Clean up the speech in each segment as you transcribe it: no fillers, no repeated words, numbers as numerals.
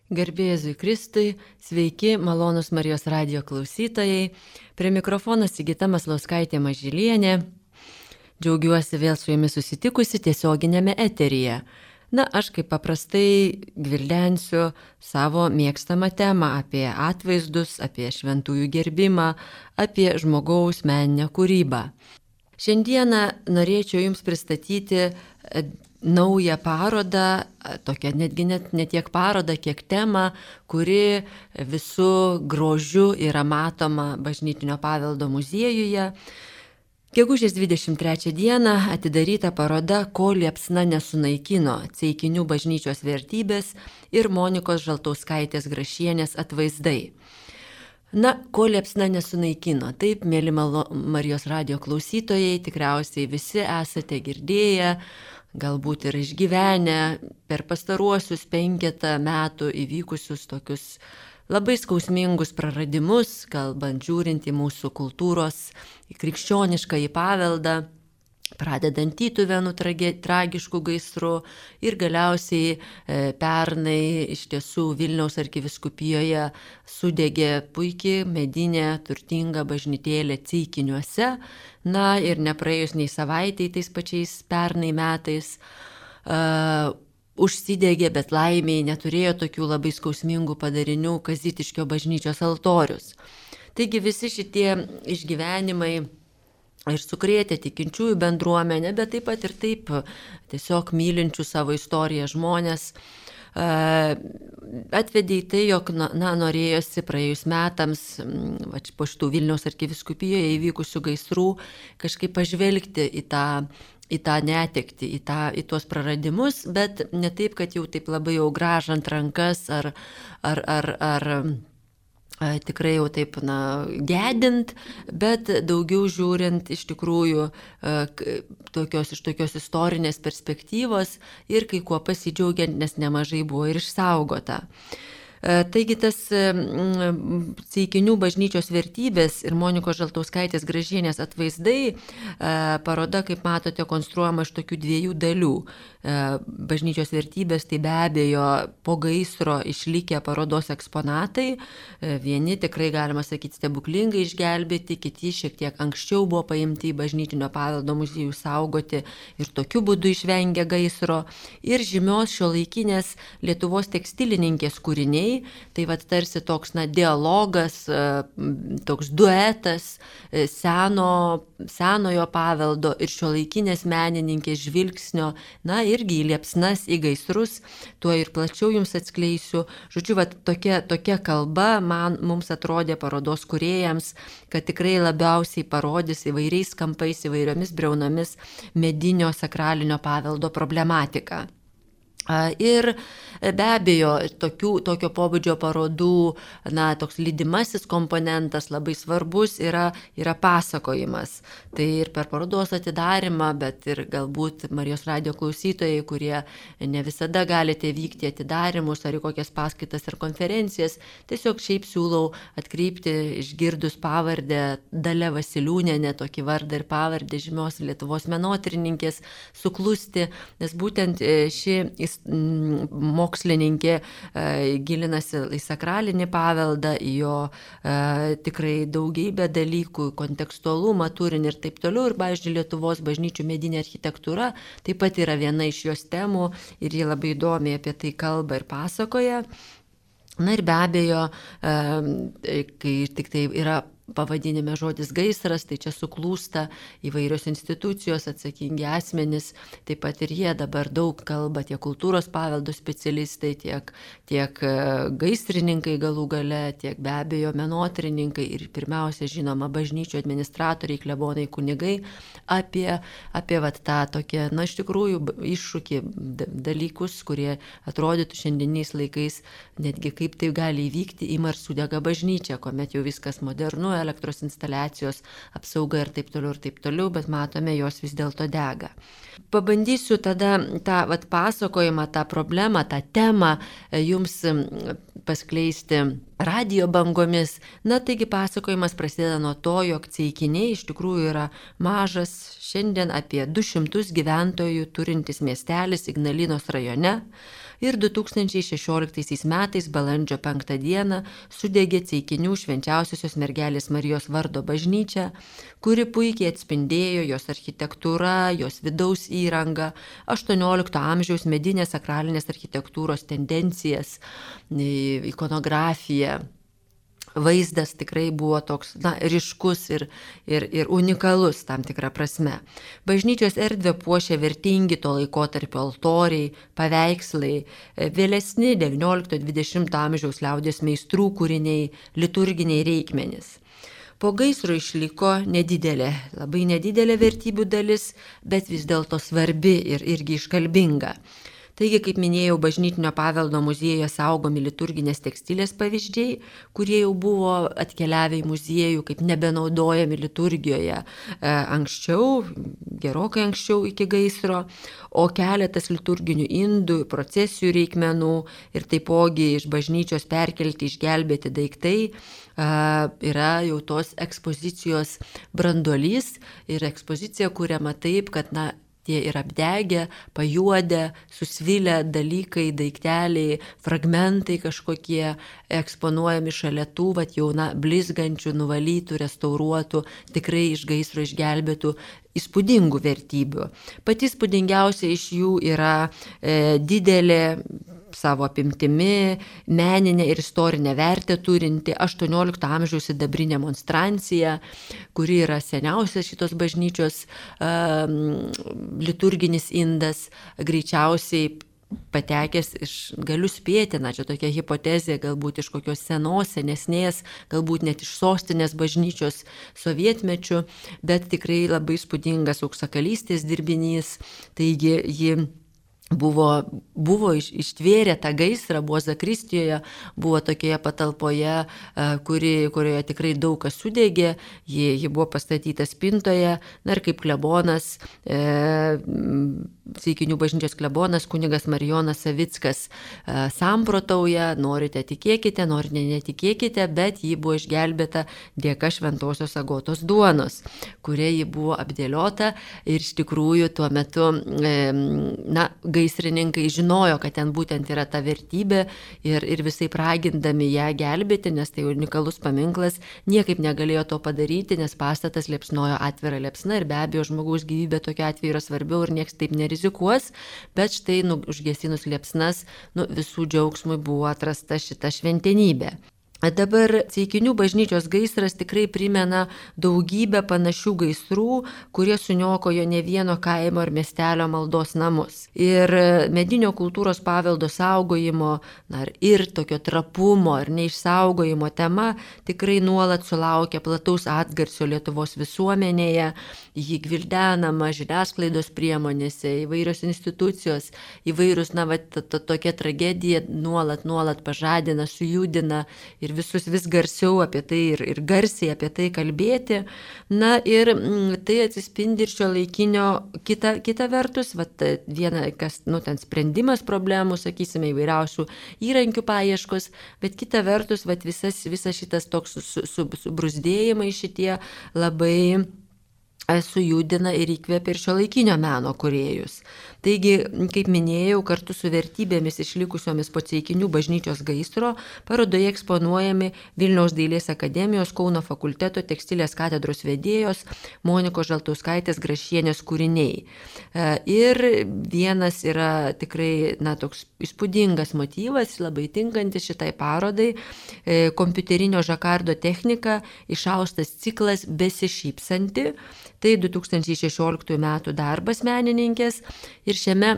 Garbė Jėzui Kristui, sveiki, malonus Marijos radijo klausytojai. Prie mikrofono Sigita Maslauskaitė Mažylienė. Džiaugiuosi vėl su jumis susitikusi tiesioginėme eteryje. Aš kaip paprastai gvildensiu savo mėgstamą temą apie atvaizdus, apie šventųjų gerbimą, apie žmogaus meninę kūrybą. Šiandieną norėčiau jums pristatyti naują parodą, tokią netgi ne tiek parodą, kiek temą, kuri visų grožiu yra matoma Bažnytinio paveldo muziejuje. Gegužės 23 dieną atidaryta paroda Ko liepsna nesunaikino – Ceikinių bažnyčios vertybės ir Monikos Žaltauskaitės Grašienės atvaizdai. Ko liepsna nesunaikino. Taip, mėly Marijos radijo klausytojai, tikriausiai visi esate girdėję, galbūt ir išgyvenę per pastaruosius 5 metų įvykusius tokius labai skausmingus praradimus, kalbant žiūrint į mūsų kultūros, į krikščionišką į paveldą, pradedant Tytuvėnų tragiškų gaisrų ir galiausiai pernai iš tiesų Vilniaus arkivyskupijoje sudegė puikiai medinė turtinga bažnytėlė Ceikiniuose. Ir nepraėjus nei savaitei tais pačiais pernai metais užsidegė, bet laimiai neturėjo tokių labai skausmingų padarinių Kazytiškio bažnyčios altorius. Taigi visi šitie išgyvenimai ir sukrėtė tikinčiųjų bendruomenę, bet taip pat ir taip tiesiog mylinčių savo istoriją žmonės atvedė į tai, jog norėjosi praėjus metams po šitų Vilniaus arkivyskupijoje įvykusių gaisrų kažkaip pažvelgti į tą netektį, į tuos praradimus, bet ne taip, kad jau taip labai jau grąžant rankas ar tikrai jau taip gedint, bet daugiau žiūrint iš tikrųjų iš tokios istorinės perspektyvos ir kai kuo pasidžiaugiant, nes nemažai buvo ir išsaugota. Taigi tas Ceikinių bažnyčios vertybės ir Monikos Žaltauskaitės Gražienės atvaizdai paroda, kaip matote, konstruojama iš tokių 2 dalių. Bažnyčios vertybės tai be abejo po gaisro išlikę parodos eksponatai. Vieni tikrai, galima sakyti, stebuklingai išgelbėti, kiti šiek tiek anksčiau buvo paimti į Bažnytinio paveldo muziejų saugoti ir tokiu būdu išvengė gaisro. Ir žymios šiuolaikinės Lietuvos tekstilininkės kūriniai. Tai tarsi toks dialogas, toks duetas senojo paveldo ir šiuolaikinės menininkės žvilgsnio, irgi į liepsnas, į gaisrus, tuo ir plačiau jums atskleisiu. Žodžiu, tokia kalba mums atrodė parodos kūrėjams, kad tikrai labiausiai parodys įvairiais kampais, įvairiomis briaunomis medinio sakralinio paveldo problematiką. Ir be abejo, tokio pobūdžio parodų, toks lydimasis komponentas labai svarbus yra pasakojimas. Tai ir per parodos atidarymą, bet ir galbūt Marijos radijo klausytojai, kurie ne visada galite vykti atidarymus ar į kokias paskaitas ar konferencijas, tiesiog šiaip siūlau atkreipti, išgirdus pavardę Dalia Vasiliūnienė, tokį vardą ir pavardę žymios Lietuvos menotyrininkės, suklusti, nes būtent ši mokslininkė gilinasi į sakralinį paveldą, į jo tikrai daugybę dalykų, kontekstualumą, turinį ir taip toliau. Ir, pavyzdžiui, Lietuvos bažnyčių medinė architektūra taip pat yra viena iš jos temų ir ji labai įdomiai apie tai kalba ir pasakoja. Ir be abejo, kai tik tai yra pavadinime žodis gaisras, tai čia suklūsta įvairios institucijos, atsakingi asmenys, taip pat ir jie dabar daug kalba, tiek kultūros paveldo specialistai, tiek gaisrininkai galų gale, tiek be abejo menotyrininkai ir pirmiausia, žinoma, bažnyčių administratoriai, klebonai, kunigai, apie tą tokią, iš tikrųjų, iššūkį dalykus, kurie atrodytų šiandieniais laikais, netgi kaip tai gali įvykti, ima ir sudega bažnyčia, kuomet jau viskas modernu, elektros instaliacijos, apsauga ir taip toliau, bet matome, jos vis dėlto dega. Pabandysiu tada tą pasakojimą, tą problemą, tą temą jums paskleisti radijo bangomis. Na, taigi pasakojimas prasideda nuo to, jog Ceikiniai iš tikrųjų yra mažas, šiandien apie 200 gyventojų turintis miestelis Ignalinos rajone. Ir 2016 metais balandžio 5 dieną sudegė Ceikinių švenčiausiosios mergelės Marijos vardo bažnyčia, kuri puikiai atspindėjo jos architektūra, jos vidaus įranga, 18 amžiaus medinės sakralinės architektūros tendencijas, ikonografiją. Vaizdas tikrai buvo toks ryškus ir unikalus tam tikrą prasme. Bažnyčios erdvę puošia vertingi to laikotarpio altoriai, paveikslai, vėlesni 19-20 amžiaus liaudies meistrų kūriniai, liturginiai reikmenys. Po gaisro išliko nedidelė, labai nedidelė vertybių dalis, bet vis dėlto svarbi ir irgi iškalbinga. Taigi, kaip minėjau, bažnytinio paveldo muziejuje saugomi liturginės tekstilės pavyzdžiai, kurie jau buvo atkeliavę į muziejų kaip nebenaudojami liturgijoje anksčiau, gerokai anksčiau iki gaisro, o keletas liturginių indų, procesijų reikmenų ir taipogi iš bažnyčios perkelti, išgelbėti daiktai yra jau tos ekspozicijos branduolys ir ekspozicija kuriama taip, kad tie yra apdegę, pajuodę, susvilę dalykai, daikteliai, fragmentai kažkokie eksponuojami šalia tų, jau blizgančių, nuvalytų, restauruotų, tikrai iš gaisro išgelbėtų įspūdingų vertybių. Pati įspūdingiausia iš jų yra didelė savo apimtimi, meninę ir istorinę vertę turinti 18 amžiaus sidabrinė monstrancija, kuri yra seniausias šitos bažnyčios liturginis indas, greičiausiai patekęs galiu spėti, čia tokia hipotezė, galbūt iš kokios senesnės, galbūt net iš sostinės bažnyčios sovietmečių, bet tikrai labai įspūdingas auksakalystės dirbinys, taigi ji buvo ištvėrę tą gaisrą, buvo Zakristijoje, buvo tokioje patalpoje, kurioje tikrai daug kas sudegė, ji buvo pastatyta spintoje, ir kaip klebonas, Ceikinių bažnyčios klebonas kunigas Marijonas Savickas samprotauja, norite tikėkite, norite netikėkite, bet ji buvo išgelbėta dėka šventosios Agotos duonos, kuria ji buvo apdėliota ir iš tikrųjų tuo metu gaisrininkai žinojo, kad ten būtent yra ta vertybė ir visai ragindami ją gelbėti, nes tai unikalus paminklas, niekaip negalėjo to padaryti, nes pastatas liepsnojo atvira liepsna ir be abejo žmogaus gyvybė tokiu atveju yra svarbiau ir nieks taip nerizikuos, bet štai užgesinus liepsnas visų džiaugsmui buvo atrasta šita šventenybė. Dabar Ceikinių bažnyčios gaisras tikrai primena daugybę panašių gaisrų, kurie suniokojo ne vieno kaimo ar miestelio maldos namus. Ir medinio kultūros paveldo saugojimo ir tokio trapumo ir neišsaugojimo tema tikrai nuolat sulaukia plataus atgarsio Lietuvos visuomenėje, jį gvildenama žiniasklaidos priemonėse, įvairios institucijos, įvairūs, tokia tragedija nuolat pažadina, sujudina ir visus vis garsiau apie tai ir garsiai apie tai kalbėti. Ir tai atsispindi ir šio laikinio kita vertus, viena, kas, ten sprendimas problemų, sakysime, įvairiausių įrankių paieškos, bet kita vertus, visas šitas toks subrūzdėjimai šitie labai sujudina ir įkvėpia ir šiuolaikinio meno kūrėjus. Taigi, kaip minėjau, kartu su vertybėmis išlikusiomis po Ceikinių bažnyčios gaisro parodoje eksponuojami Vilniaus dailės akademijos Kauno fakulteto tekstilės katedros vedėjos Monikos Žaltauskaitės Grašienės kūriniai. Ir vienas yra tikrai toks įspūdingas motyvas, labai tinkantis šitai parodai, kompiuterinio žakardo technika, išaustas ciklas Besišypsanti. Tai 2016 metų darbas menininkės ir šiame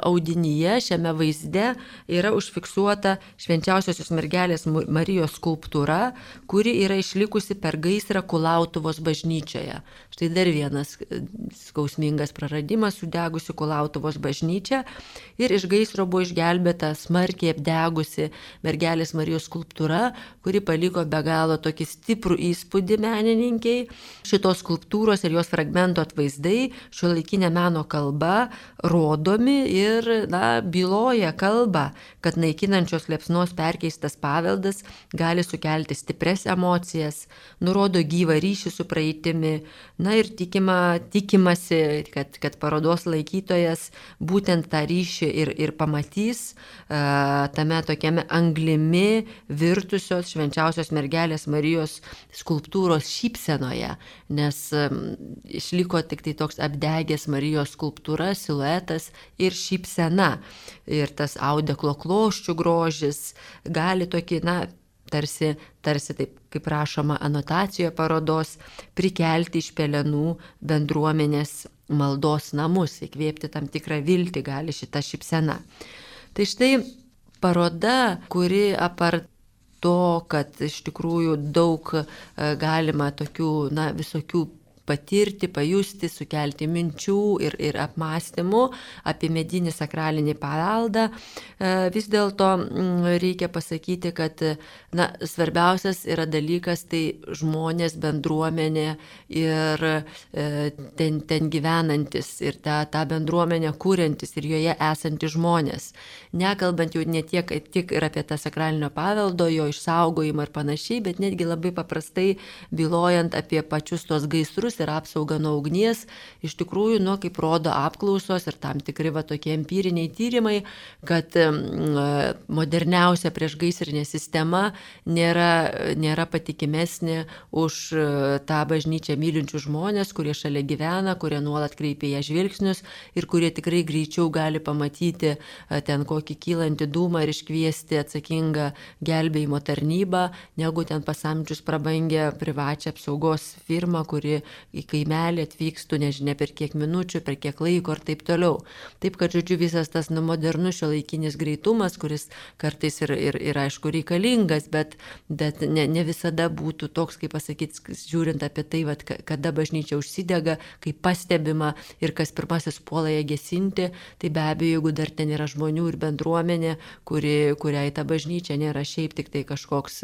audinyje, šiame vaizde yra užfiksuota švenčiausiosios mergelės Marijos skulptūra, kuri yra išlikusi per gaisrą Kulautuvos bažnyčioje. Štai dar vienas skausmingas praradimas, sudegusi Kulautuvos bažnyčia ir iš gaisro buvo išgelbėta smarkiai apdegusi mergelės Marijos skulptūra, kuri paliko be galo tokį stiprų įspūdį menininkiai. Šitos skulptūros ir jos fragmento atvaizdai šiuolaikinė meno kalba rodomi ir byloja kalbą, kad naikinančios liepsnos perkeistas paveldas gali sukelti stipres emocijas, nurodo gyvą ryšį su praeitimi. Ir tikimasi, kad parodos laikytojas būtent tą ryšį ir pamatys tame tokiame anglimi virtusios švenčiausios mergelės Marijos skulptūros šypsenoje, nes išliko tik tai toks apdegęs Marijos skulptūra, siluetas ir šypsena. Ir tas audeklo kloščių grožis gali tokį, tarsi taip, kaip rašoma anotacijoje parodos, prikelti iš pelenų bendruomenės maldos namus, įkvėpti tam tikrą viltį gali šita šypsena. Tai štai paroda, kuri apart to, kad iš tikrųjų daug galima tokių, visokių patirti, pajusti, sukelti minčių ir apmąstymų apie medinį sakralinį paveldą, vis dėlto reikia pasakyti, kad svarbiausias yra dalykas tai žmonės, bendruomenė ir ten gyvenantis ir tą bendruomenę kuriantis ir joje esantis žmonės. Nekalbant jau ne tik ir apie tą sakralinio paveldo, jo išsaugojimą ir panašiai, bet netgi labai paprastai bylojant apie pačius tos gaisrus ir apsaugą nuo ugnies, iš tikrųjų, kaip rodo apklausos ir tam tikri tokie empiriniai tyrimai, kad moderniausia priešgaisrinė sistema nėra patikimesnė už tą bažnyčią mylinčių žmonės, kurie šalia gyvena, kurie nuolat kreipia ją žvilgsnius ir kurie tikrai greičiau gali pamatyti ten kokį kylantį dūmą ir iškviesti atsakingą gelbėjimo tarnybą, negu ten pasamdžius prabangę privačią apsaugos firmą, kuri į kaimelį atvykstų, nežinia per kiek minučių, per kiek laiko ir taip toliau. Taip, kad, žodžiu, visas tas modernus šiuolaikinis greitumas, kuris kartais ir aišku reikalingas, bet ne visada būtų toks, kaip pasakyti, žiūrint apie tai, kada bažnyčia užsidega, kaip pastebima ir kas pirmasis puola ją gesinti, tai be abejo, jeigu dar ten yra žmonių ir bendruomenė, kuriai ta bažnyčia nėra šiaip tik tai kažkoks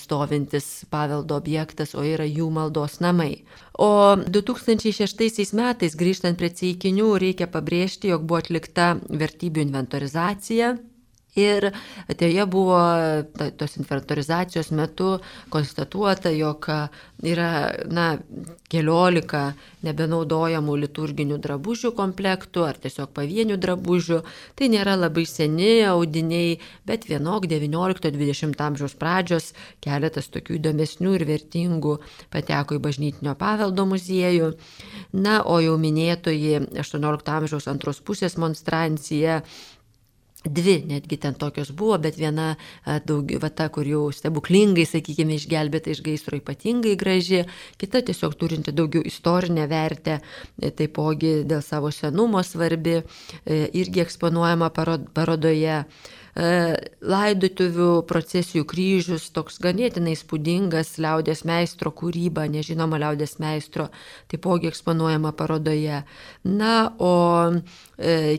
stovintis paveldo objektas, o yra jų maldos namai. O 2006 metais, grįžtant prie ceikinių, reikia pabrėžti, jog buvo atlikta vertybių inventorizacija. Ir joje buvo tos inventorizacijos metu konstatuota, jog yra 14 nebenaudojamų liturginių drabužių komplektų ar tiesiog pavienių drabužių. Tai nėra labai seni audiniai, bet vienok 19-20 amžiaus pradžios keletas tokių įdomesnių ir vertingų pateko į bažnytinio paveldo muziejų. O jau minėtoji 18 amžiaus antros pusės monstrancija, dvi netgi ten tokios buvo, bet viena ta, kur jau stebuklingai, sakykime, išgelbėta iš gaisro ypatingai graži, kita tiesiog turinti daugiau istorinę vertę, taipogi dėl savo senumo svarbi, irgi eksponuojama parodoje. Laidotuvių procesijų kryžius, toks ganėtinai įspūdingas liaudies meistro kūryba, nežinoma liaudies meistro, taipogi eksponuojama parodoje. O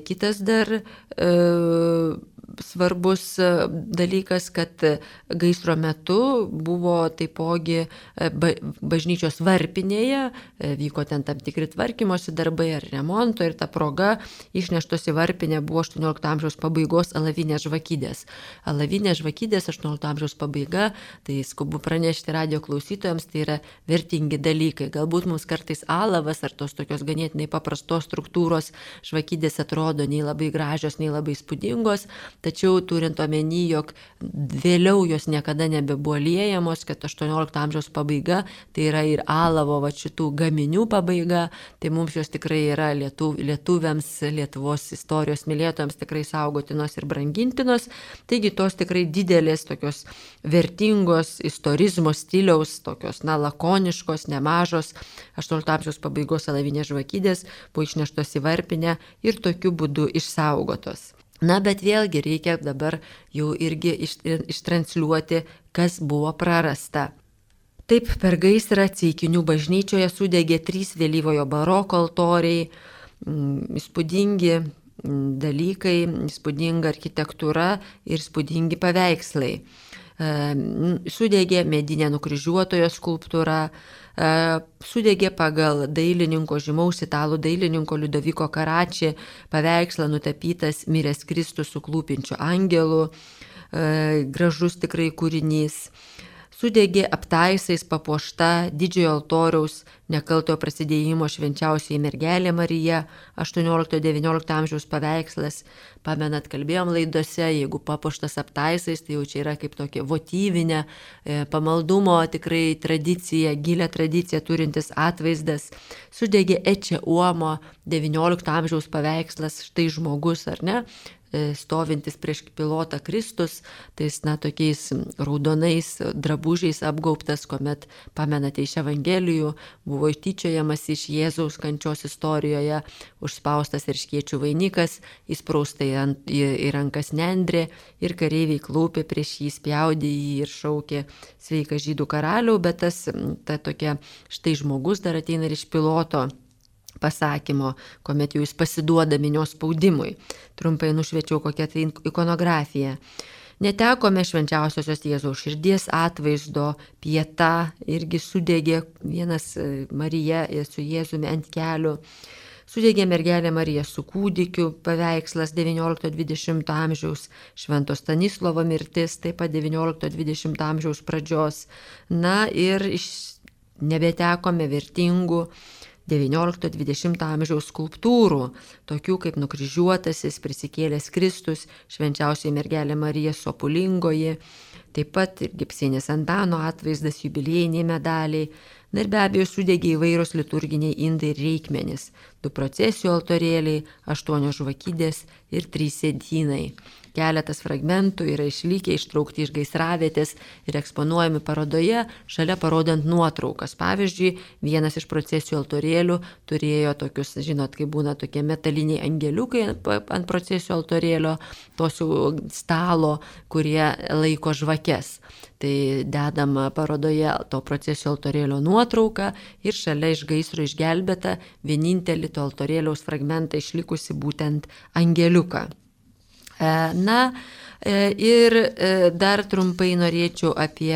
kitas dar svarbus dalykas, kad gaisro metu buvo taipogi bažnyčios varpinėje, vyko ten tam tikri tvarkymosi darbai ar remonto ir ta proga išneštos į varpinę buvo 18 amžiaus pabaigos alavinės žvakidės. Alavinės žvakidės 18 amžiaus pabaiga, tai skubu pranešti radio klausytojams, tai yra vertingi dalykai. Galbūt mums kartais alavas ar tos tokios ganėtinai paprastos struktūros žvakidės atrodo nei labai gražios, nei labai įspūdingos, tačiau turint omeny, jog vėliau jos niekada nebebuvo liejamos, kad 18 amžiaus pabaiga, tai yra ir alavo šitų gaminių pabaiga, tai mums jos tikrai yra lietuviams, Lietuvos istorijos mylėtojams tikrai saugotinos ir brangintinos. Taigi tos tikrai didelės, tokios vertingos istorizmo stiliaus, tokios lakoniškos, nemažos 18 amžiaus pabaigos alavinės žvakidės buvo išneštos į varpinę ir tokiu būdu išsaugotos. Bet vėlgi reikia dabar jau irgi ištransliuoti, kas buvo prarasta. Taip, per gaisrą Ceikinių bažnyčioje sudegė 3 vėlyvojo baroko altoriai, įspūdingi dalykai, įspūdinga architektūra ir įspūdingi paveikslai. Sudegė medinė nukryžiuotojo skulptūra, sudegė pagal dailininko, žymaus italų dailininko Liudoviko Karači paveikslą nutapytas miręs Kristus su klūpinčiu angelu, gražus tikrai kūrinys. Sudegė aptaisais papuošta didžiojo altoriaus nekaltojo prasidėjimo švenčiausioji mergelė Marija, 18-19 amžiaus paveikslas. Pamenat, kalbėjom laidose, jeigu papuoštas aptaisais, tai jau čia yra kaip tokia votyvinė, pamaldumo tikrai tradicija, gilią tradiciją turintis atvaizdas. Sudegė Ecce Uomo, 19 amžiaus paveikslas, štai žmogus, ar ne? Stovintis prieš pilotą Kristus, tais tokiais raudonais drabužiais apgaubtas, kuomet, pamenate iš Evangelijų, buvo tyčiojamas iš Jėzaus kančios istorijoje, užspaustas erškėčių vainikas, įspraustai į rankas nendrė ir kareiviai klaupė prieš jį, spjaudė jį ir šaukė sveika žydų karaliau, bet ta tokia štai žmogus dar ateina ir iš piloto pasakymo, kuomet jau jis pasiduoda minios spaudimui. Trumpai nušviečiau kokią tai ikonografiją. Netekome švenčiausiosios Jėzaus širdies atvaizdo, Pieta irgi sudegė, vienas Marija su Jėzumi ant kelių. Sudegė mergelė Marija su kūdikiu, paveikslas 19-20 amžiaus, Švento Stanislovo mirtis, taip pat 19-20 amžiaus pradžios. Na ir nebetekome vertingų 19-20 amžiaus skulptūrų, tokių kaip nukryžiuotasis, prisikėlęs Kristus, švenčiausioji mergelė Marija Sopulingoji, taip pat ir Gipsienės Antano atvaizdas, jubiliejiniai medaliai. Na ir be abejo sudegė įvairios liturginiai indai ir reikmenys, 2 procesijų altorėliai, 8 žvakidės ir 3 sėdynai. Keletas fragmentų yra išlikę, ištraukti iš gaisravietės ir eksponuojami parodoje, šalia parodant nuotraukas. Pavyzdžiui, vienas iš procesijų altorėlių turėjo tokius, žinot, kai būna tokie metaliniai angeliukai ant procesijų altorėlio, tos jau stalo, kurie laiko žvakes. Tai dedama parodoje to procesijų altorėlio nuotrauka ir šalia iš gaisro išgelbėta vienintelį to altorėliaus fragmentą išlikusi būtent angeliuką. Na ir dar trumpai norėčiau apie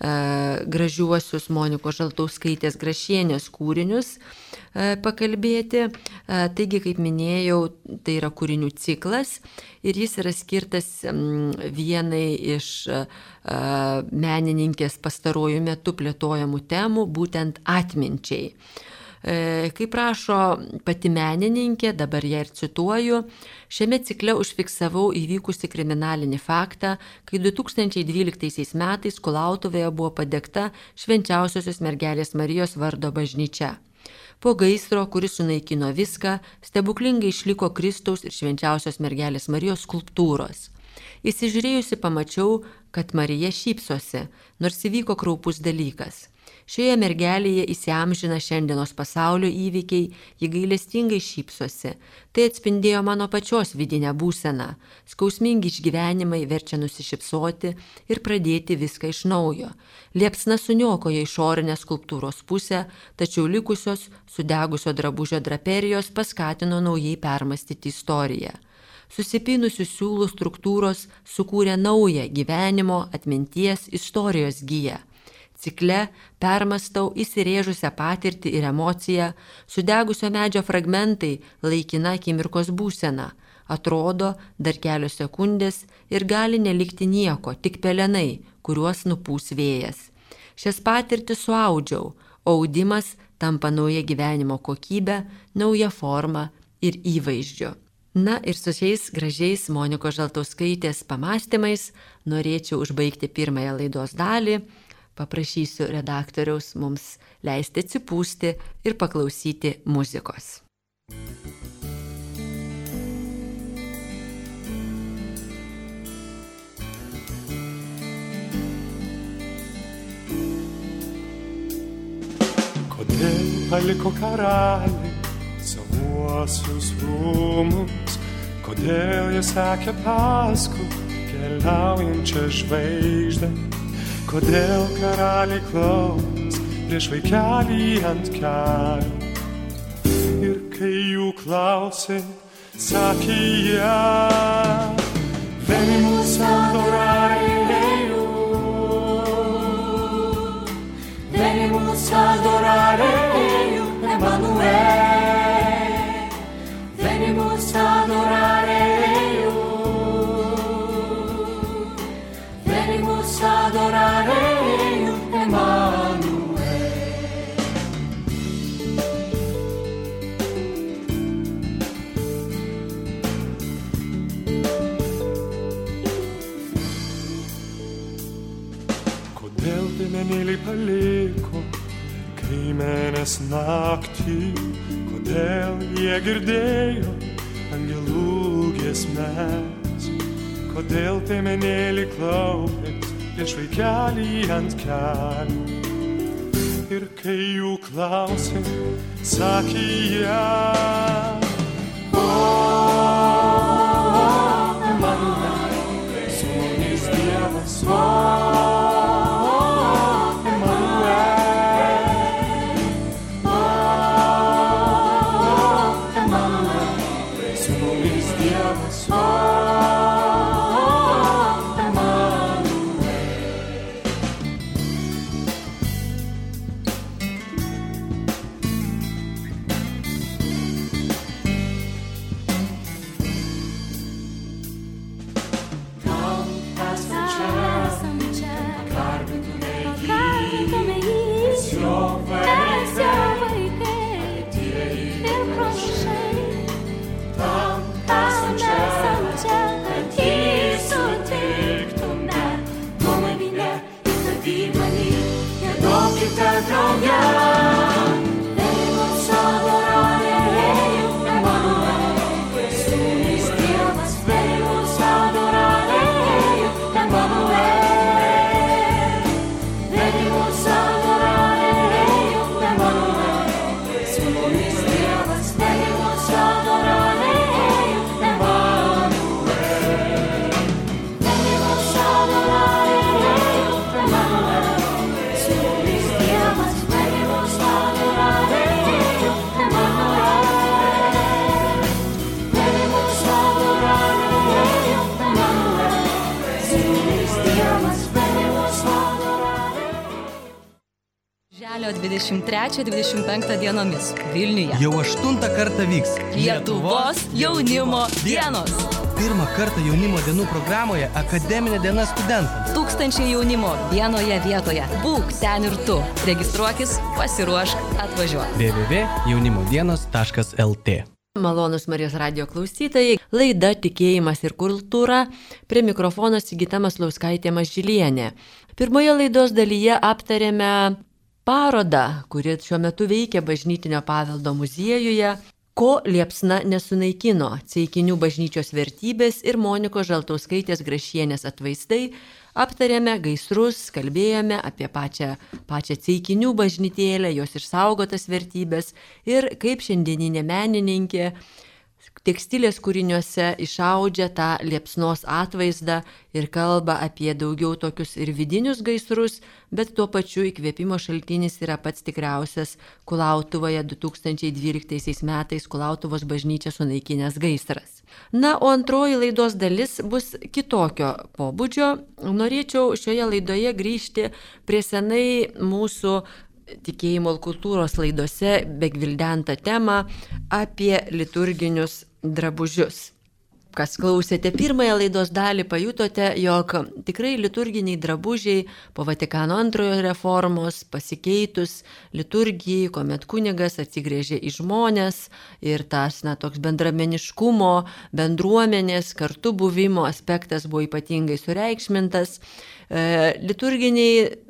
gražiuosius Monikos Žaltauskaitės Grašienės kūrinius pakalbėti. Taigi, kaip minėjau, tai yra kūrinių ciklas ir jis yra skirtas vienai iš menininkės pastaruoju metu plėtojamų temų, būtent atminčiai. Kaip rašo pati menininkė, dabar ją ir cituoju, šiame cikle užfiksavau įvykusi kriminalinį faktą, kai 2012 metais Kulautuvėje buvo padegta Švenčiausiosios mergelės Marijos vardo bažnyčia. Po gaisro, kuris sunaikino viską, stebuklingai išliko Kristaus ir Švenčiausios mergelės Marijos skulptūros. Įsižiūrėjusi pamačiau, kad Marija šypsosi, nors įvyko kraupus dalykas. Šioje mergelėje įsiamžina šiandienos pasaulio įvykiai, ji gailestingai šypsosi. Tai atspindėjo mano pačios vidinę būseną. Skausmingi išgyvenimai verčia nusišypsoti ir pradėti viską iš naujo. Liepsna suniokoja išorinę skulptūros pusę, tačiau likusios sudegusio drabužio draperijos paskatino naujai permastyti istoriją. Susipynusių siūlų struktūros sukūrė naują gyvenimo, atminties, istorijos giją. Cikle permastau įsirėžusią patirtį ir emociją, sudegusio medžio fragmentai, laikina akimirkos būsena. Atrodo, dar kelios sekundės ir gali nelikti nieko, tik pelenai, kuriuos nupūs vėjas. Šias patirtis suaudžiau, o audimas tampa nauja gyvenimo kokybė, nauja forma ir įvaizdžiu. Na ir su šiais gražiais Monikos Žaltauskaitės pamąstymais norėčiau užbaigti pirmąją laidos dalį. Paprašysiu redaktoriaus mums leisti atsipūsti ir paklausyti muzikos. Kodėl paliko karaliai savuosius rūmus, kodėl jie sekė paskui keliaujančią žvaigždę? Kodėl karaliai klaus prieš vaikelį ant kelių? Ir kai jų klausė, sakė jie, venimus adorare Deum, venimos a adorare, Emanuel. Kodėl piemenėliai paliko kaimenės naktį, kodėl jie girdėjo angelų giesmes, kodėl piemenėliai klaupės prieš vaikelį ant kelių. Ir kai jų klausė, sakė jie, o, Emanuel, su mumis Dievas, o, Birželio 23-25 dienomis Vilniuje. Jau 8 kartą vyks Lietuvos jaunimo dienos. Pirmą kartą jaunimo dienų programoje akademinė diena studentams. 1000 jaunimo vienoje vietoje. Būk ten ir tu. Registruokis, pasiruošk, atvažiuok. www.jaunimodienos.lt. Malonus Marijos radijo klausytojai, laida Tikėjimas ir kultūra, prie mikrofono Sigita Maslauskaitė Mažylienė. Pirmoje laidos dalyje aptarėme parodą, kuri šiuo metu veikia Bažnytinio paveldo muziejuje, Ko liepsna nesunaikino - Ceikinių bažnyčios vertybės ir Monikos Žaltauskaitės Grašienės atvaizdai. Aptarėme gaisrus, kalbėjome apie pačią Ceikinių bažnytėlę, jos išsaugotas vertybės ir kaip šiandieninė menininkė tekstilės kūriniuose išaudžia tą liepsnos atvaizdą ir kalba apie daugiau tokius ir vidinius gaisrus, bet tuo pačiu įkvėpimo šaltinis yra pats tikriausias Kulautuvoje 2012 metais Kulautuvos bažnyčią sunaikinęs gaisras. Na, o antroji laidos dalis bus kitokio pobūdžio. Norėčiau šioje laidoje grįžti prie senai mūsų tikėjimo ir kultūros laidose begvildentą temą apie liturginius drabužius. Kas klausėte pirmąją laidos dalį, pajutote, jog tikrai liturginiai drabužiai po Vatikano antrojo reformos pasikeitus liturgijai, kuomet kunigas atsigrėžė į žmones ir tas toks bendrameniškumo, bendruomenės, kartu buvimo aspektas buvo ypatingai sureikšmintas. Liturginiai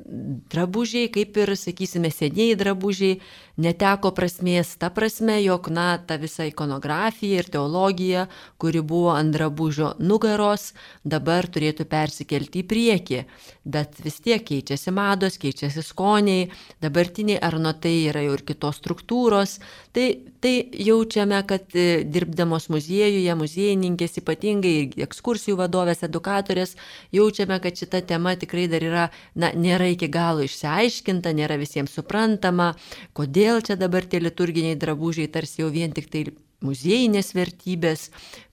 drabužiai, kaip ir, sakysime, senieji drabužiai, neteko prasmės ta prasme, jog, ta visa ikonografija ir teologija, kuri buvo ant drabužio nugaros, dabar turėtų persikelti į priekį. Bet vis tiek keičiasi mados, keičiasi skoniai, dabartiniai arnotai yra jau ir kitos struktūros. Tai jaučiame, kad dirbdamos muziejuje, muziejininkės ypatingai ir ekskursijų vadovės, edukatorės, jaučiame, kad šita tema tikrai dar yra, nėra iki galo išsiaiškinta, nėra visiems suprantama, kodėl čia dabar tie liturginiai drabužiai tarsi jau vien tik tai muziejinės vertybės,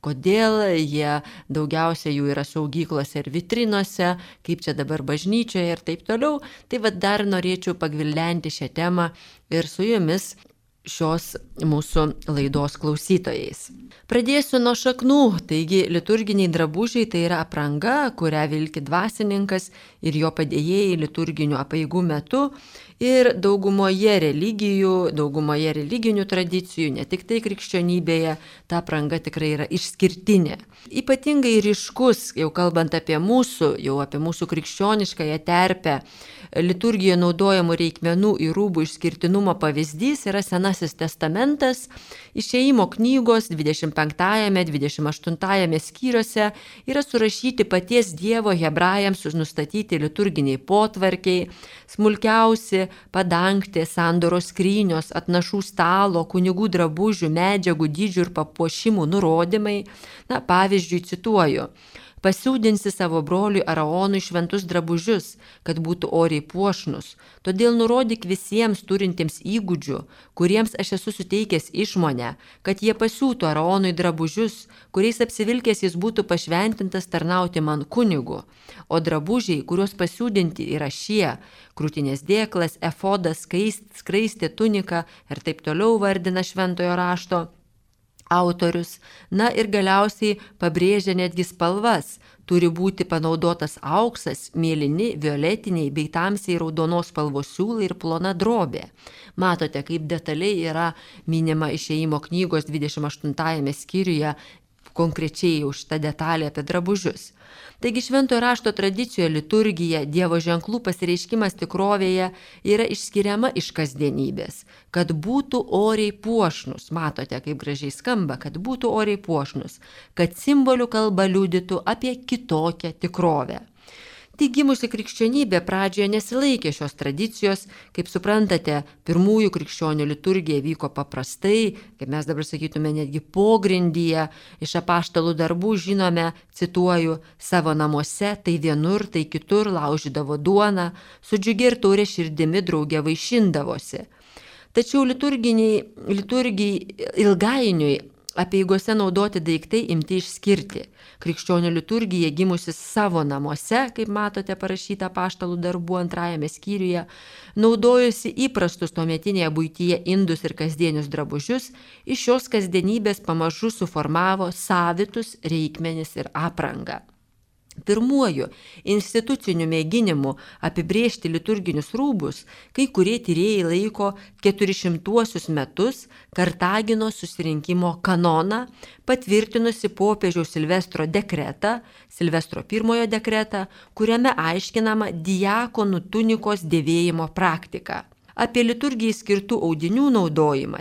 kodėl jie daugiausia jų yra saugyklose ir vitrinose, kaip čia dabar bažnyčioje ir taip toliau. Tai dar norėčiau pagvildenti šią temą ir su jumis šios mūsų laidos klausytojais. Pradėsiu nuo šaknų, taigi liturginiai drabužiai tai yra apranga, kurią vilki dvasininkas ir jo padėjėjai liturginių apeigų metu ir daugumoje religinių tradicijų, ne tik tai krikščionybėje, ta apranga tikrai yra išskirtinė. Ypatingai ryškus, jau kalbant apie mūsų krikščioniškąją terpę, liturgijoje naudojamų reikmenų ir rūbų išskirtinumo pavyzdys yra Senasis testamentas. Išėjimo knygos 25-28 skyriuose yra surašyti paties Dievo hebrajams nustatyti liturginiai potvarkiai, smulkiausi padangtė, sandoros skrynios, atnašų stalo, kunigų drabužių, medžiagų, dydžių ir papuošimų nurodymai. Pavyzdžiui, cituoju: pasiūdinsi savo broliui Araonui šventus drabužius, kad būtų oriai puošnus. Todėl nurodyk visiems turintiems įgūdžių, kuriems aš esu suteikęs išmonę, kad jie pasiūtų Araonui drabužius, kuriais apsivilkęs jis būtų pašventintas tarnauti man kunigu. O drabužiai, kuriuos pasiūdinti, yra šie: krūtinės dėklas, efodas, skraistė, tunika ir taip toliau vardina šventojo rašto autorius. Ir galiausiai pabrėžia netgi spalvas. Turi būti panaudotas auksas, mėlyni, violetiniai bei tamsiai raudonos spalvos siūlai ir plona drobė. Matote, kaip detaliai yra minima Išėjimo knygos 28 skyriuje konkrečiai jau šitą detalę apie drabužius. Taigi šventojo rašto tradicijoje liturgija, Dievo ženklų pasireiškimas tikrovėje yra išskiriama iš kasdienybės, kad būtų oriai puošnus. Matote, kaip gražiai skamba, kad būtų oriai puošnus, kad simbolių kalba liudytų apie kitokią tikrovę. Tik gimusi krikščionybė pradžioje nesilaikė šios tradicijos. Kaip suprantate, pirmųjų krikščionių liturgija vyko paprastai, kaip mes dabar sakytume, netgi pogrindyje. Iš apaštalų darbų žinome, cituoju: savo namuose, tai vienur, tai kitur laužydavo duoną, su džiugia ir taure širdimi drauge vaišindavosi. Tačiau liturgijai ilgainiui apeigose naudoti daiktai imti išskirti. Krikščionių liturgija gimusi savo namuose, kaip matote parašyta apaštalų darbų 2 skyriuje, naudojosi įprastus tuometinėje buityje indus ir kasdienius drabužius, iš šios kasdienybės pamažu suformavo savitus reikmenis ir aprangą. Pirmuoju instituciniu mėginimu apibrėžti liturginius rūbus kai kurie tyrėjai laiko 400 metus Kartagino susirinkimo kanoną, patvirtinusi popiežiaus Silvestro dekretą, Silvestro I dekretą, kuriame aiškinama diakonų tunikos dėvėjimo praktika. Apie liturgijai skirtų audinių naudojimą,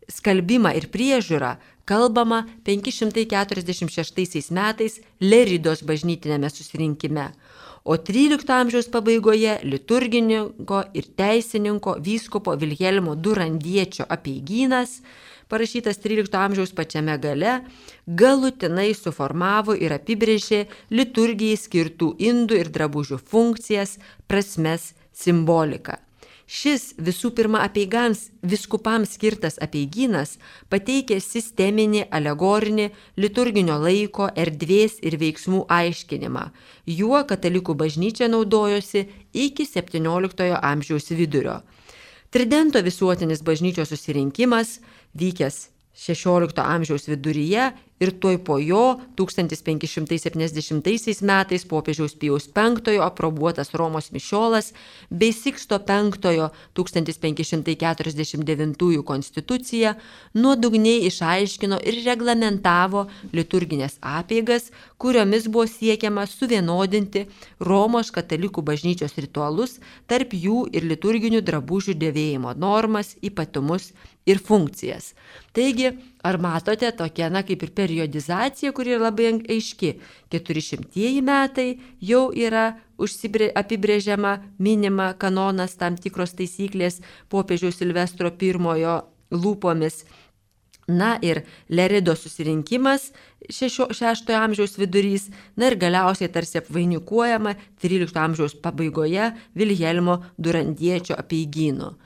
skalbimą ir priežiūrą kalbama 546 metais Leridos bažnytinėme susirinkime, o 13 amžiaus pabaigoje liturgininko ir teisininko vyskupo Vilhelmo Durandiečio apeigynas, parašytas 13 amžiaus pačiame gale, galutinai suformavo ir apibrėžė liturgijai skirtų indų ir drabužių funkcijas, prasmes, simboliką. Šis visų pirma apeigams viskupams skirtas apeigynas pateikė sisteminį, alegorinį, liturginio laiko, erdvės ir veiksmų aiškinimą. Juo katalikų bažnyčia naudojosi iki 17 amžiaus vidurio. Tridento visuotinis bažnyčios susirinkimas, vykęs 16 amžiaus viduryje ir tuoj po jo 1570 metais popiežiaus Pijaus V aprobuotas Romos mišiolas bei Siksto V 1549 konstitucija nuodugniai išaiškino ir reglamentavo liturginės apeigas, kuriomis buvo siekiama suvienodinti Romos katalikų bažnyčios ritualus, tarp jų ir liturginių drabužių dėvėjimo normas, ypatumus ir funkcijas. Taigi, ar matote tokia, kaip ir periodizacija, kuri yra labai aiški. 400 metai jau yra apibrėžiama, minima kanonas, tam tikros taisyklės popiežiaus Silvestro I lūpomis. Ir Lerido susirinkimas 6 amžiaus vidurys, ir galiausiai tarsi apvainikuojama 13 amžiaus pabaigoje Vilhelmo Durandiečio apeigynu.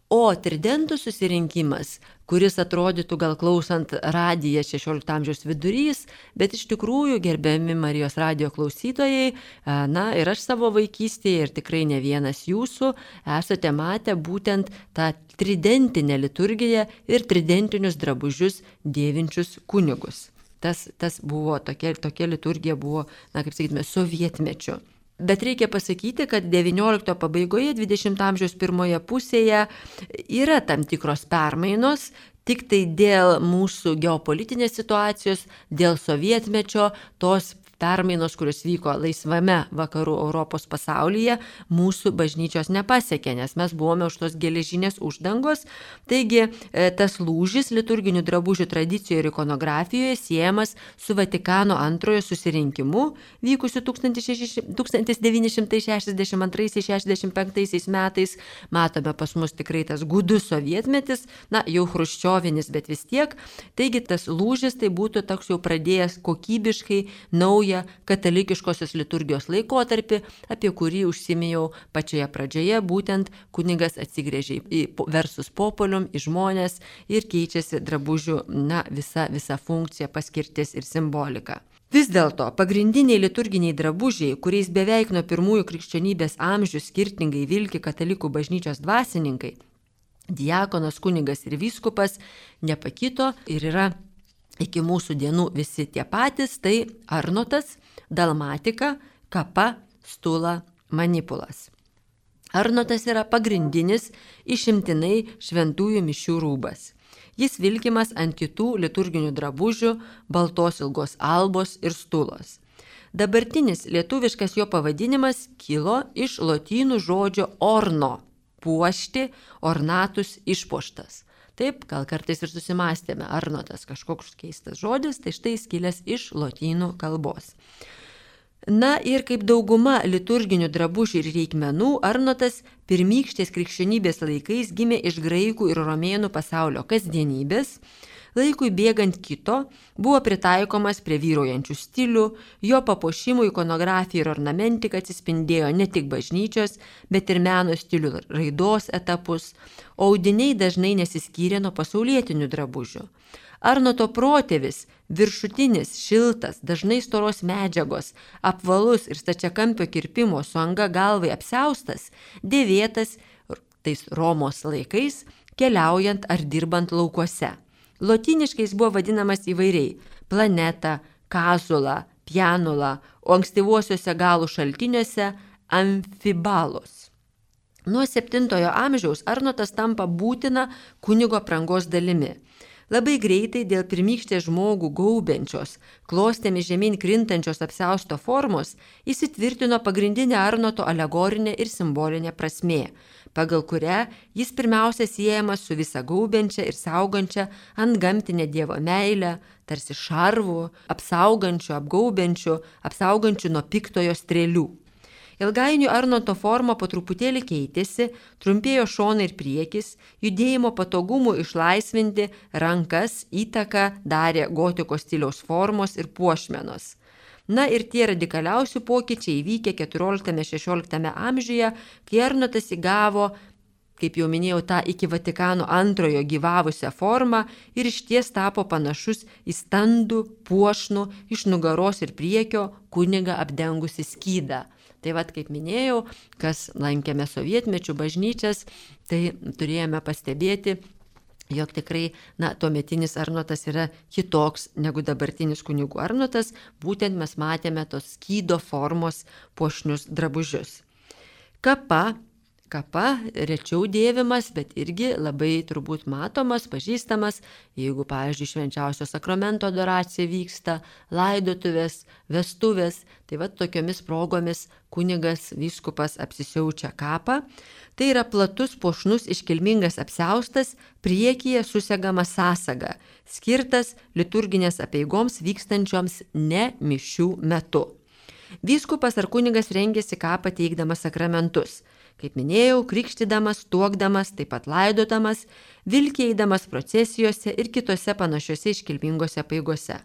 O tridentų susirinkimas, kuris atrodytų gal klausant radiją 16 amžiaus vidurys, bet iš tikrųjų, gerbiami Marijos radijo klausytojai, ir aš savo vaikystėje ir tikrai ne vienas jūsų esate matę būtent tą tridentinę liturgiją ir tridentinius drabužius dėvinčius kunigus. Tas buvo, tokia liturgija buvo, kaip sakytume, sovietmečiu. Bet reikia pasakyti, kad 19 pabaigoje, 20 amžiaus pirmoje pusėje yra tam tikros permainos, tik tai dėl mūsų geopolitinės situacijos, dėl sovietmečio, tos permainos, kurios vyko laisvame vakarų Europos pasaulyje, mūsų bažnyčios nepasiekė, nes mes buvome už tos geležinės uždangos. Taigi tas lūžis liturginių drabužių tradicijoje ir ikonografijoje siejamas su Vatikano antrojo susirinkimu, vykusiu 1962-65 metais. Matome pas mus tikrai tas gudus sovietmetis, jau chruščiovinis, bet vis tiek. Taigi tas lūžis tai būtų toks jau pradėjęs kokybiškai naują katalikiškosios liturgijos laikotarpį, apie kurį užsiminėjau pačioje pradžioje, būtent kunigas atsigręžia į versus populium, į žmonės ir keičiasi drabužių visa funkcija, paskirtis ir simbolika. Vis dėlto pagrindiniai liturginiai drabužiai, kuriais beveik nuo pirmųjų krikščionybės amžių skirtingai vilki katalikų bažnyčios dvasininkai, diakonas, kunigas ir vyskupas, nepakito ir yra iki mūsų dienų visi tie patys, tai arnotas, dalmatika, kapa, stula, manipulas. Arnotas yra pagrindinis išimtinai šventųjų mišių rūbas. Jis vilkimas ant kitų liturginių drabužių, baltos ilgos albos ir stulos. Dabartinis lietuviškas jo pavadinimas kilo iš lotynų žodžio orno, puošti, ornatus, išpuoštas. Taip, gal kartais ir susimastėme, arnotas kažkoks keistas žodis, tai štai skilęs iš lotynų kalbos. Ir kaip dauguma liturginių drabužių ir reikmenų, arnotas pirmykštės krikščionybės laikais gimė iš graikų ir romėnų pasaulio kasdienybės, laikui bėgant kito, buvo pritaikomas prie vyraujančių stilių, jo papuošimų ikonografija ir ornamentika atsispindėjo ne tik bažnyčios, bet ir meno stilių raidos etapus, o audiniai dažnai nesiskyrė nuo pasaulietinių drabužių. Arnoto protėvis, viršutinis, šiltas, dažnai storos medžiagos, apvalus ir stačiakampio kirpimo su anga galvai apsiaustas, dėvėtas tais Romos laikais, keliaujant ar dirbant laukuose. Lotyniškais buvo vadinamas įvairiai – planeta, kazula, pianula, o ankstyvuosiuose galų šaltiniuose – amfibalos. Nuo 7 amžiaus arnotas tampa būtina kunigo aprangos dalimi. Labai greitai dėl pirmykštės žmogų gaubiančios, klostėmis žemyn krintančios apsiausto formos įsitvirtino pagrindinė arnoto alegorinė ir simbolinė prasmė, pagal kurią jis pirmiausia siejamas su visa gaubiančia ir saugančia antgamtinė Dievo meilė, tarsi šarvu, apsaugančiu nuo piktojo strėlių. Ilgainiui arnoto forma po truputėlį keitėsi, trumpėjo šonai ir priekis, judėjimo patogumų išlaisvinti rankas įtaką darė gotikos stiliaus formos ir puošmenos. Ir tie radikaliausi pokyčiai įvykę 14-16 amžiuje, kai arnotas įgavo, kaip jau minėjau, tą iki Vatikano antrojo gyvavusią formą ir išties tapo panašus į standų, puošnų, iš nugaros ir priekio kunigą apdengusi skydą. Tai kaip minėjau, kas lankėme sovietmečių bažnyčias, tai turėjome pastebėti, jog tikrai tuometinis arnotas yra kitoks negu dabartinis kunigų arnotas, būtent mes matėme tos skydo formos puošnius drabužius. Kapa rečiau dėvimas, bet irgi labai turbūt matomas, pažįstamas, jeigu, pavyzdžiui, švenčiausio sakramento adoracija vyksta, laidotuvės, vestuvės, tai tokiomis progomis kunigas, vyskupas apsisiaučia kapą. Tai yra platus, puošnus, iškilmingas apsiaustas, priekyje susegama sąsaga, skirtas liturginės apeigoms vykstančioms ne mišių metu. Vyskupas ar kunigas rengėsi kapą teikdamas sakramentus. Kaip minėjau, krikštydamas, tuokdamas, taip pat laidodamas, vilkiai eidamas procesijose ir kitose panašiose iškilmingose apeigose.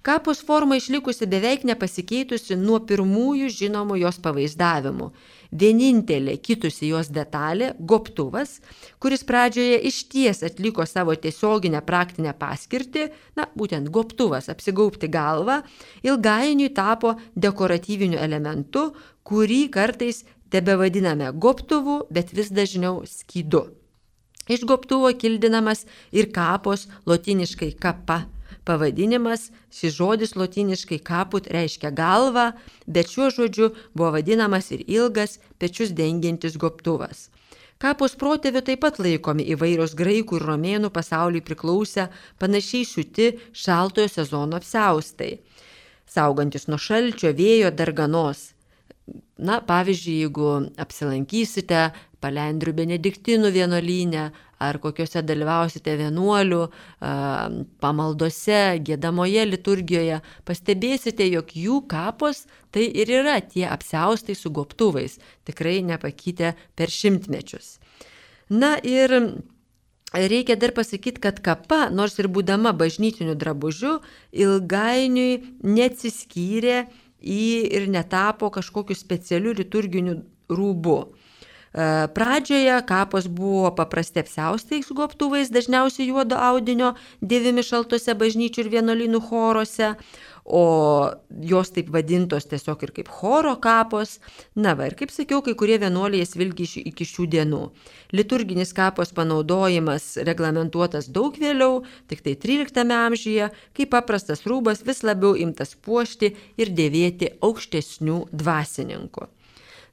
Kapos forma išlikusi beveik nepasikeitusi nuo pirmųjų žinomų jos pavaizdavimų. Vienintelė kitusi jos detalė – gobtuvas, kuris pradžioje išties atliko savo tiesioginę praktinę paskirtį, būtent gobtuvas, apsigaubti galvą, ilgainiui tapo dekoratyviniu elementu, kurį kartais tebevadiname gobtuvu, bet vis dažniau skydu. Iš gobtuvo kildinamas ir kapos, lotyniškai kapa pavadinimas. Šis žodis lotyniškai kaput reiškia galvą, bet šiuo žodžiu buvo vadinamas ir ilgas, pečius dengiantis gobtuvas. Kapos protėvių taip pat laikomi įvairios graikų ir romėnų pasauliui priklausę panašiai siūti šaltojo sezono apsiaustai, saugantis nuo šalčio, vėjo, darganos. Pavyzdžiui, jeigu apsilankysite Palendrių benediktinų vienuolyne ar kokiuose dalyvausite vienuolių pamaldose, giedamoje liturgijoje, pastebėsite, jog jų kapos tai ir yra tie apsiaustai su gobtuvais, tikrai nepakitę per šimtmečius. Ir reikia dar pasakyti, kad kapa, nors ir būdama bažnytiniu drabužiu, ilgainiui neatsiskyrė ir netapo kažkokiu specialiu liturginiu rūbu. Pradžioje kapos buvo paprasti apsiaustai su gobtuvais, dažniausiai juodo audinio, dėvimi šaltose bažnyčių ir vienuolynų choruose, o jos taip vadintos tiesiog ir kaip choro kapos. Ir kaip sakiau, kai kurie vienuoliai jas vilki iki šių dienų. Liturginis kapos panaudojimas reglamentuotas daug vėliau, tik tai 13 amžiuje, kai paprastas rūbas vis labiau imtas puošti ir dėvėti aukštesnių dvasininkų.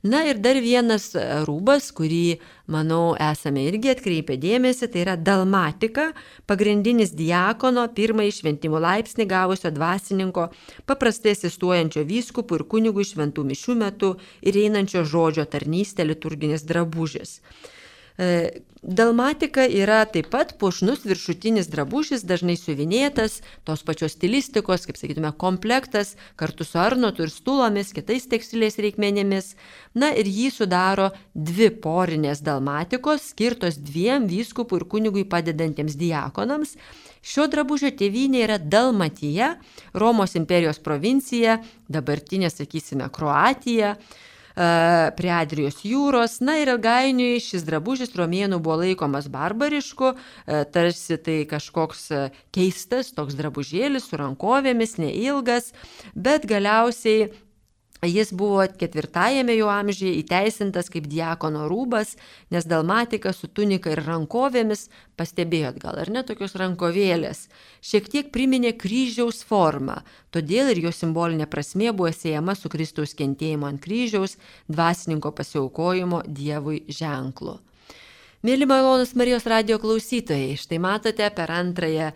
Ir dar vienas rūbas, kurį, manau, esame irgi atkreipę dėmesį, tai yra dalmatika, pagrindinis diakono, pirmąjį šventimų laipsnį gavusio dvasininko, paprastai asistuojančio vyskupų ir kunigų šventų mišių metu ir einančio žodžio tarnystę liturginis drabužis. Dalmatika yra taip pat puošnus viršutinis drabužis, dažnai siuvinėtas, tos pačios stilistikos, kaip sakytume, komplektas, kartu su arnotu ir stulomis, kitais tekstilės reikmenėmis. Ir jį sudaro 2 porinės dalmatikos, skirtos 2 vyskupų ir kunigui padedantiems diakonams. Šio drabužio tėvynė yra Dalmatija, Romos imperijos provincija, dabartinė, sakysime, Kroatija, prie Adrijos jūros. Ir ilgainiui šis drabužis romėnų buvo laikomas barbarišku, tarsi tai kažkoks keistas toks drabužėlis su rankovėmis, neilgas, bet galiausiai jis buvo 4 jau amžiuje įteisintas kaip diakono rūbas, nes dalmatika su tunika ir rankovėmis, pastebėjot gal ar ne, tokios rankovėlės, šiek tiek priminė kryžiaus formą, todėl ir jo simbolinė prasmė buvo siejama su Kristaus kentėjimo ant kryžiaus, dvasininko pasiaukojimo Dievui ženklu. Mėly malonūs Marijos radijo klausytojai, štai matote, per antrąją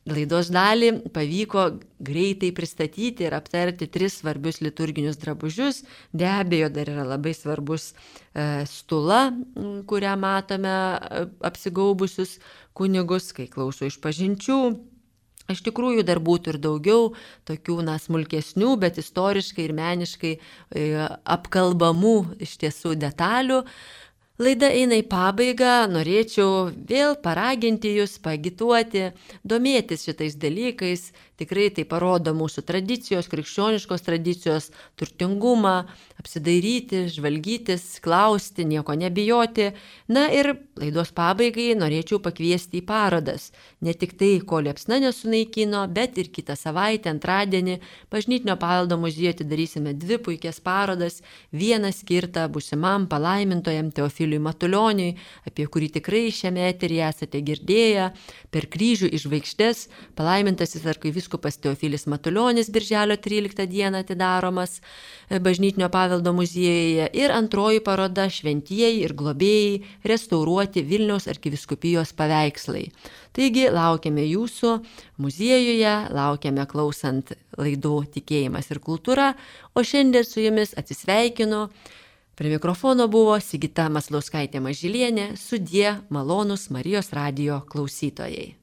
laidos dalį pavyko greitai pristatyti ir aptarti 3 svarbius liturginius drabužius. Be abejo, dar yra labai svarbus stula, kurią matome apsigaubusius kunigus, kai klauso išpažinčių. Iš tikrųjų dar būtų ir daugiau tokių smulkesnių, bet istoriškai ir meniškai apkalbamų iš tiesų detalių. Laida eina į pabaigą, norėčiau vėl paraginti jūs, paagituoti, domėtis šitais dalykais. Tikrai tai parodo mūsų tradicijos, krikščioniškos tradicijos turtingumą, apsidairyti, žvalgytis, klausti, nieko nebijoti. Ir laidos pabaigai norėčiau pakviesti į parodas. Ne tik tai, ko liepsna nesunaikino, bet ir kitą savaitę, antradienį, Bažnytinio paveldo muziejuje atidarysime 2 puikias parodas. Vieną skirtą būsimam palaimintojam Teofiliui Matulioniui, apie kurį tikrai šiame eteryje esate girdėję, per kryžių į žvaigždes, palaimintasis arkivyskupas Teofilis Matulionis birželio 13 dieną atidaromas Bažnytinio paveldo muziejuje, ir antroji paroda Šventieji ir globėjai restauruoti Vilniaus arkivyskupijos paveikslai. Taigi laukiame jūsų muziejuje, laukiame klausant laidų Tikėjimas ir kultūra, o šiandien su jumis atsisveikinu. Prie mikrofono buvo Sigita Maslauskaitė Mažylienė, sudie malonūs Marijos radijo klausytojai.